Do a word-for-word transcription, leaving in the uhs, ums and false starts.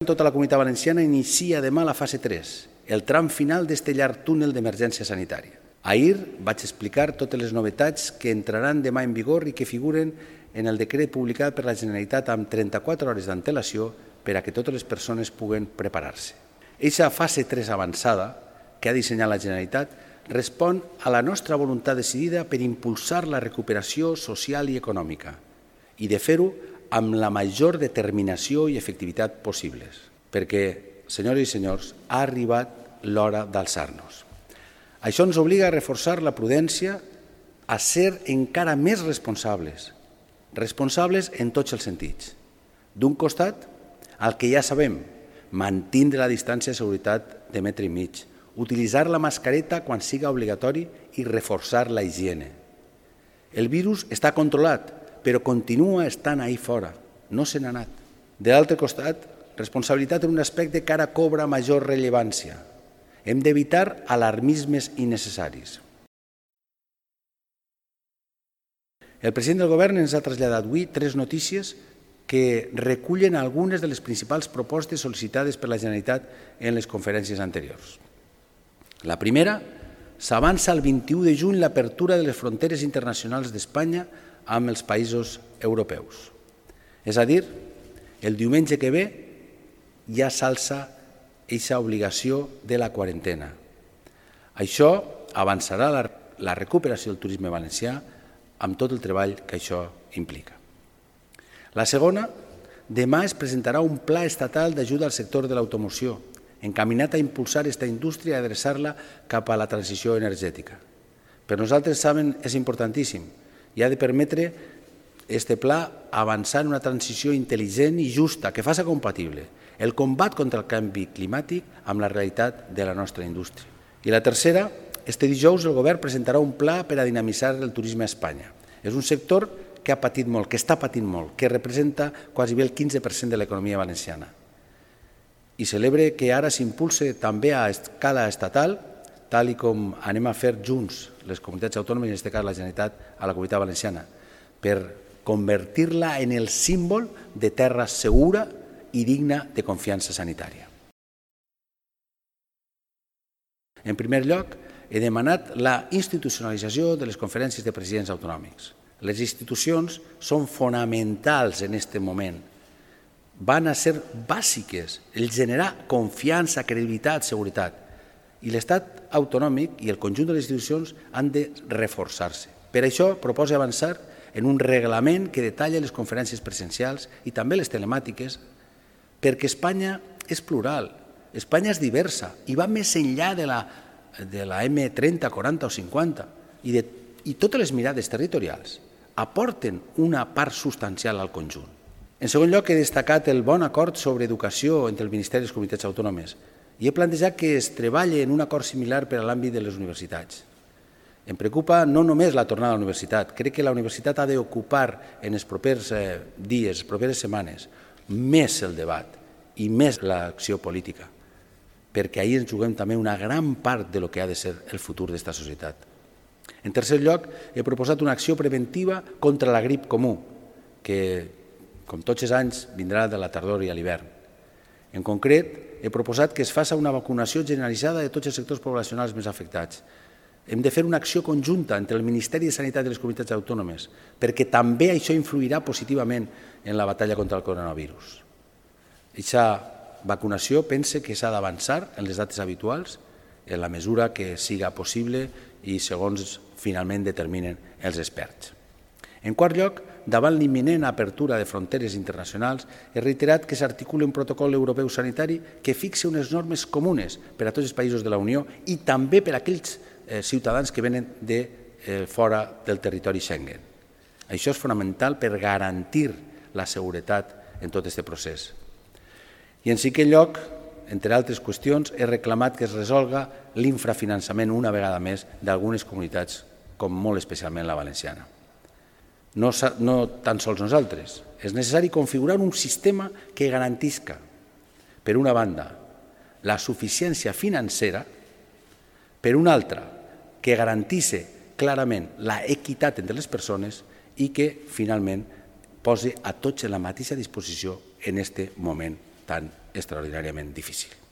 Tota la Comunitat Valenciana inicia demà la fase tres, el tram final d'este llarg túnel d'emergència sanitària. Ahir vaig explicar totes les novetats que entraran demà en vigor i que figuren en el decret publicat per la Generalitat amb trenta-quatre hores d'antelació per a que totes les persones puguen preparar-se. Eixa fase tres avançada que ha dissenyat la Generalitat respon a la nostra voluntat decidida per impulsar la recuperació social i econòmica i de fer-ho amb la major determinació i efectivitat possibles, perquè, senyores i senyors, ha arribat l'hora d'alçar-nos. Això ens obliga a reforçar la prudència, a ser encara més responsables, responsables en tots els sentits. D'un costat, el que ja sabem, mantindre la distància de seguretat de metre i mig, utilitzar la mascareta quan siga obligatori i reforçar la higiene. El virus està controlat, però continua estant ahí fora, no se n'ha anat. De l'altre costat, responsabilitat en un aspecte que ara cobra major rellevància. Hem d'evitar alarmismes innecessaris. El president del govern ens ha traslladat avui tres notícies que recullen algunes de les principals propostes sol·licitades per la Generalitat en les conferències anteriors. La primera, s'avança el vint-i-u de juny l'apertura de les fronteres internacionals d'Espanya amb els països europeus. És a dir, el diumenge que ve ja s'alça aquesta obligació de la quarantena. Això avançarà la, la recuperació del turisme valencià amb tot el treball que això implica. La segona, demà es presentarà un pla estatal d'ajuda al sector de l'automoció, encaminat a impulsar aquesta indústria i adreçar-la cap a la transició energètica. Per nosaltres, saben, és importantíssim i ha de permetre este pla avançar en una transició intel·ligent i justa que faci compatible el combat contra el canvi climàtic amb la realitat de la nostra indústria. I la tercera, este dijous el govern presentarà un pla per a dinamitzar el turisme a Espanya. És un sector que ha patit molt, que està patint molt, que representa quasi el quinze per cent de l'economia valenciana. I celebre que ara s'impulse també a escala estatal, tal i com anem a fer junts les comunitats autònomes, en aquest cas la Generalitat a la Comunitat Valenciana, per convertir-la en el símbol de terra segura i digna de confiança sanitària. En primer lloc, he demanat la institucionalització de les conferències de presidents autonòmics. Les institucions són fonamentals en aquest moment. Van a ser bàsiques el generar confiança, credibilitat, seguretat. I l'Estat autonòmic i el conjunt de les institucions han de reforçar-se. Per això proposa avançar en un reglament que detalla les conferències presencials i també les telemàtiques, perquè Espanya és plural, Espanya és diversa i va més enllà de la, de la eme trenta, quaranta o cinquanta i, de, i totes les mirades territorials aporten una part substancial al conjunt. En segon lloc, he destacat el bon acord sobre educació entre el Ministeri i les comunitats autònomes i he plantejat que es treballi en un acord similar per a l'àmbit de les universitats. Em preocupa no només la tornada a la universitat, crec que la universitat ha d'ocupar en els propers eh, dies, les properes setmanes, més el debat i més l'acció política, perquè ahir ens juguem també una gran part de lo que ha de ser el futur d'esta societat. En tercer lloc, he proposat una acció preventiva contra la grip comú, que, com tots els anys, vindrà de la tardor i a l'hivern. En concret, he proposat que es faci una vacunació generalitzada de tots els sectors poblacionals més afectats. Hem de fer una acció conjunta entre el Ministeri de Sanitat i les comunitats autònomes, perquè també això influirà positivament en la batalla contra el coronavirus. Aquesta vacunació pense que s'ha d'avançar en les dates habituals, en la mesura que siga possible i segons finalment determinen els experts. En quart lloc, davant l'imminent apertura de fronteres internacionals, he reiterat que s'articuli un protocol europeu sanitari que fixe unes normes comunes per a tots els països de la Unió i també per a aquells eh, ciutadans que venen de eh, fora del territori Schengen. Això és fonamental per garantir la seguretat en tot aquest procés. I en cinquè lloc, entre altres qüestions, he reclamat que es resolga l'infrafinançament una vegada més d'algunes comunitats, com molt especialment la valenciana. No, no tan sols nosaltres. És necessari configurar un sistema que garantisca, per una banda, la suficiència financera, per una altra, que garantisse clarament la equitat entre les persones i que, finalment, posi a tots en la mateixa disposició en aquest moment tan extraordinàriament difícil.